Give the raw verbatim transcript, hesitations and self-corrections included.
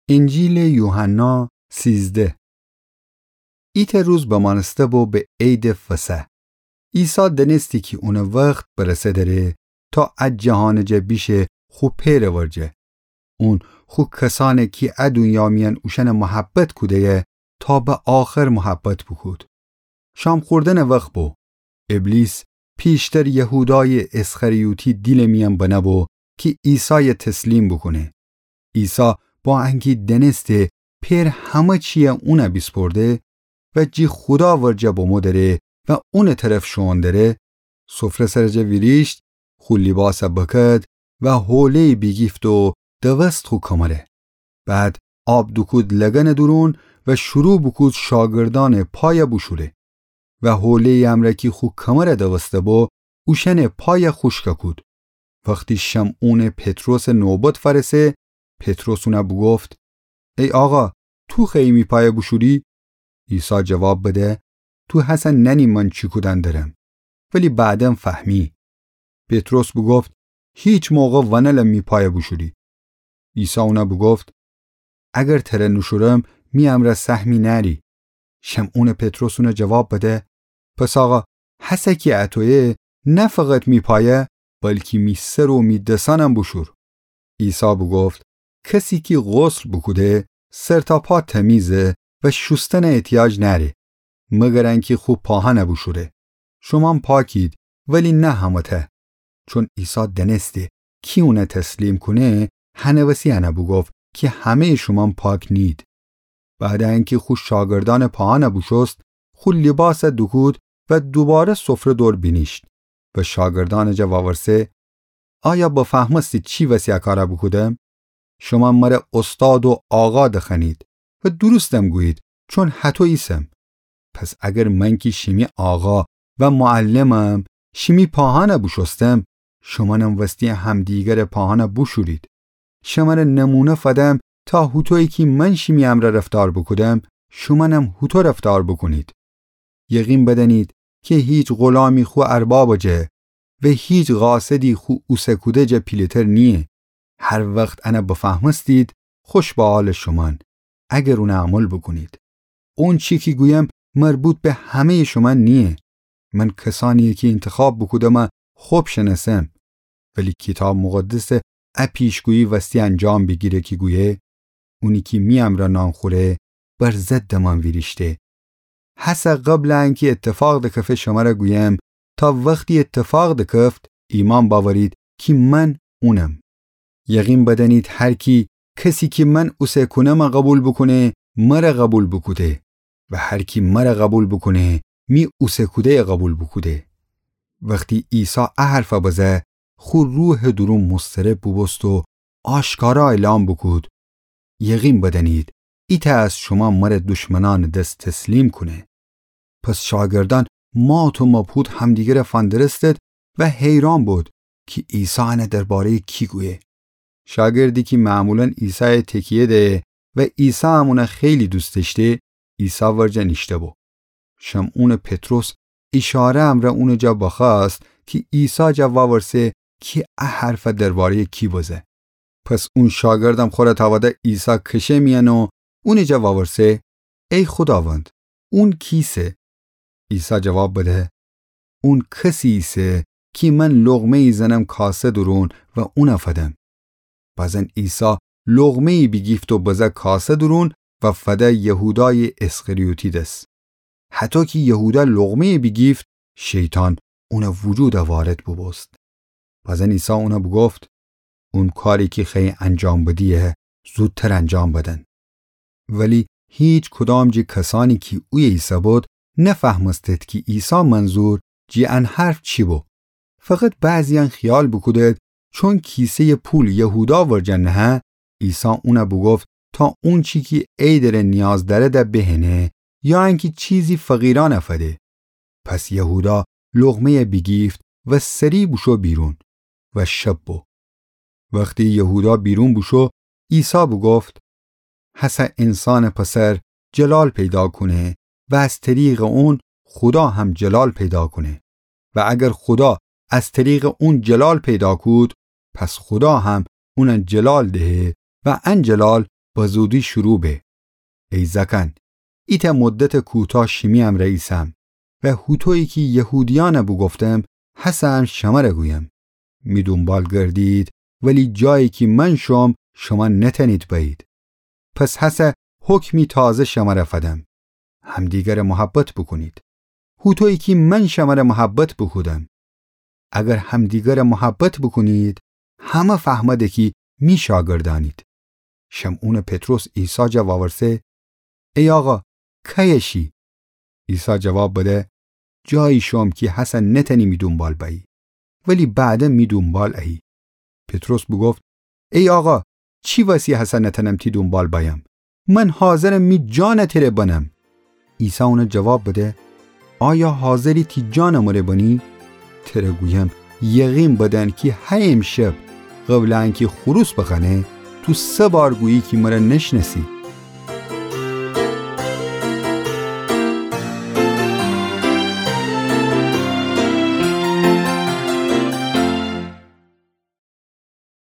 انجیلٚ یوحنا سیزده. ایتأ روز بمأنسته بو به عیدٚ فصح. عیسی دأنستی کی اونٚ وخت برسه دأره تا ا جهانٚ جا بیشه خو پئرٚ ورجه. اون خو کسأنی کی ا دونیا میأن اوشأن محبت کوده‌یه تا به آخر محبت بوکود. شام خوردنٚ وخت بو. ابلیس پیشتر یهودایٚ اسخریوطی دیلٚ میأن بنه بو کی عیسای تسلیم بوکونه. عیسی با انکی دأنسته پئر همه چیی اون بیسپرده و جی خودا ورجه بمو دأره و اونٚ طرف شوئون دأره، سفره سرٚ جا ویریشت، خو لیباس بکد و حوله‌یی بیگیفت و دوست خو کمره. بعد آب دوکود لگنٚ دورون و شروع بوکود شاگردأنٚ پای بوشوره. و حوله‌یی امرأ کی خو کمر دوسته بو، اوشأنٚ پای خوشک کود. وختی شمعونٚ پطرسٚ نوبت فأرسه، پطرس اون بوگفت: ای آقا، تو خوأیی می پای بوشوری؟ عیسی جواب بده: تو هسه نأنی من چی کودن درم، ولی بعدا فهمی. پطرس بوگفت: هیچ موقع ونألم می پای بوشوری. عیسی اون بوگفت: اگر تره نوشورم، می امرأ سهمی نأری. شمعونٚ پطرس اون جواب بده: پس آقا، هسه کی اطویه، نه فقط می پای، بلکی می سر و می دسأنم بوشور. عیسی بوگفت: کسی کی غسل بوکوده، سر تا پا تمیزه و شوستن احتیاج نأره، مگر انکی خو پاهن بوشوره. شومأن پاکید، ولی نه همه‌تأ. چون عیسی دأنسته کی اون تسلیم کونه، هنٚ وسی ان بوگفت کی همه‌یٚ شومأن پاک نیید. بعد انکی خو شاگردأنٚ پاهن بوشوست، خو لیباس دوکود و دوباره سفره دور بینیشت و شاگردأنٚ جا وورسه: آیا بفهمستید چی وسی ا کار بوکودم؟ شومأن مر استاد و آقا دخوأنید و درستم گویید، چون هطو ایسم. پس اگر من کی شیمی آقا و معلمم، شیمی پاهن بوشوستم، شومأنم وستی همدیگرٚ پاهن بوشورید. شمر نمونه فدم تا هوطویی کی من شیمی امرأ رفتار بوکودم، شومأنم هوطو رفتار بوکونید. یقین بدأنید کی هیچ غولامی خو اربابٚ جا و هیچ قاصدی خو اوسه کوده جا پیله‌تر نییه. هر وخت ان بفهمستید، خوش به حالٚ شومأن، اگر اون عمل بوکونید. اونچی کی گویم مربوط به همه‌یٚ شومأن نییه. من کسأنیی کی اینتخاب بوکودم خب شنأسم. ولی کیتاب مقدس ا پیشگویی وستی انجام بیگیره کی گویه: اونی کی می امرأ نان خوره، بر ضدٚ من ویریشته. هسه قبلٚ انکی اتفاق دکفه شمر گویم، تا وختی اتفاق دکفت، ایمأن بأورید کی من اونم. یقین بدأنید هر کی، کسی کی من اوسه کونم قوبیل بوکونه، مر قوبیل بوکوده. و هر کی مر قوبیل بوکونه، می اوسه کوده‌ی قوبیل بوکوده. وختی عیسی ا حرف بزه، خو روحٚ دورون مضطرب بوبوست و آشکارا اعلام بوکود: یقین بدأنید، ایتأ از شومأن مر دشمنأنٚ دس تسلیم کونه. پس شاگردأن مات و مبهوت همدیگر فندرستد و حیران بود کی عیسی ان درباره‌یٚ کی گویه. شاگردی کی معمولا عیسای تکیه دهه و عیسی هم اون خیلی دوست دأشته، عیسی ورجه نیشته بو. شمعونٚ پطرس ایشاره امرأ اونٚ جا بخوأست کی عیسی جا وورسه کی ا حرف درباره‌یٚ کی بزه. پس اون شاگردم خور تأوده عیسی کشه میأن و اونٚ جا وورسه: ای خوداوند، اون کیسه؟ عیسی جواب بده: اون کسی ایسه کی من لقمه‌یی زنم کاسه دورون و اون فدم. بزن عیسی لقمه‌یی بیگیفت و بزه کاسه دورون و فده یهودایٚ اسخریوطی دس. هطو کی یهودا لقمه‌یی بیگیفت، شیطان اونٚ وجودا وارد بوبوست. بزن عیسی اون بوگفت: اون کاری کی خوأیی انجام بدیی، زودتر انجام بدن. ولی هیچ کدام جٚه کسأنی کی اویه ایسه‌بود، نفهمستد کی عیسی منظور جٚه ان حرف چی بو. فقط بعضییأن خیال بوکودد چون کیسه‌یٚ پول یهودا ورجه نهه، عیسی اون بوگفت تا اونچی کی عیدٚره نیاز دأرد بهنه، یا انکی چیزی فقیرأن فده. پس یهودا لقمه‌ی بیگیفت و سری بوشو بیرون و شب بو. وختی یهودا بیرون بوشو، عیسی بوگفت: هسه انسانٚ پسر جلال پیدا کونه و از طریقٚ اون خودا هم جلال پیدا کونه. و اگر خودا از طریقٚ اون جلال پیدا کود، پس خودا هم اون جلال دهه و ان جلال بزودی شروع به. ای زأکأن، ایتأ مدتٚ کوتاه شیمی امرأ ایسم و هوطویی کی یهودیأنَ بوگفتم، هسه هم شمره گویم. می دونبال گردید، ولی جایی کی من شوم، شومأن نتأنید بأیید. پس هسه حکمی تازه شمره فدم. همدیگره محبت بوکونید، هوطویی کی من شمره محبت بوکودم. اگر همدیگره محبت بوکونید، همه فهمده کی می شاگردأنید. شمعونٚ پطرس عیسی جا وأورسه، ای آقا، کیه شی؟ عیسی جواب بده، جایی شوم کی هسه نتأنی می دونبال بأیی، ولی بعدا می دونبال أیی. پطرس بوگفت، ای آقا، چی وسی هسه نتأنم تی دونبال بأیم؟ من حاضرم می جانَ تره بنم. عیسی اونَ جواب بده، آیا حاضری تی جانَ مره بنی؟ تره گویم، یقین بدن کی هی امشب، قبلٚ انکی خروس بخوأنه، تو سه بار گویی کی مره نشنأسی.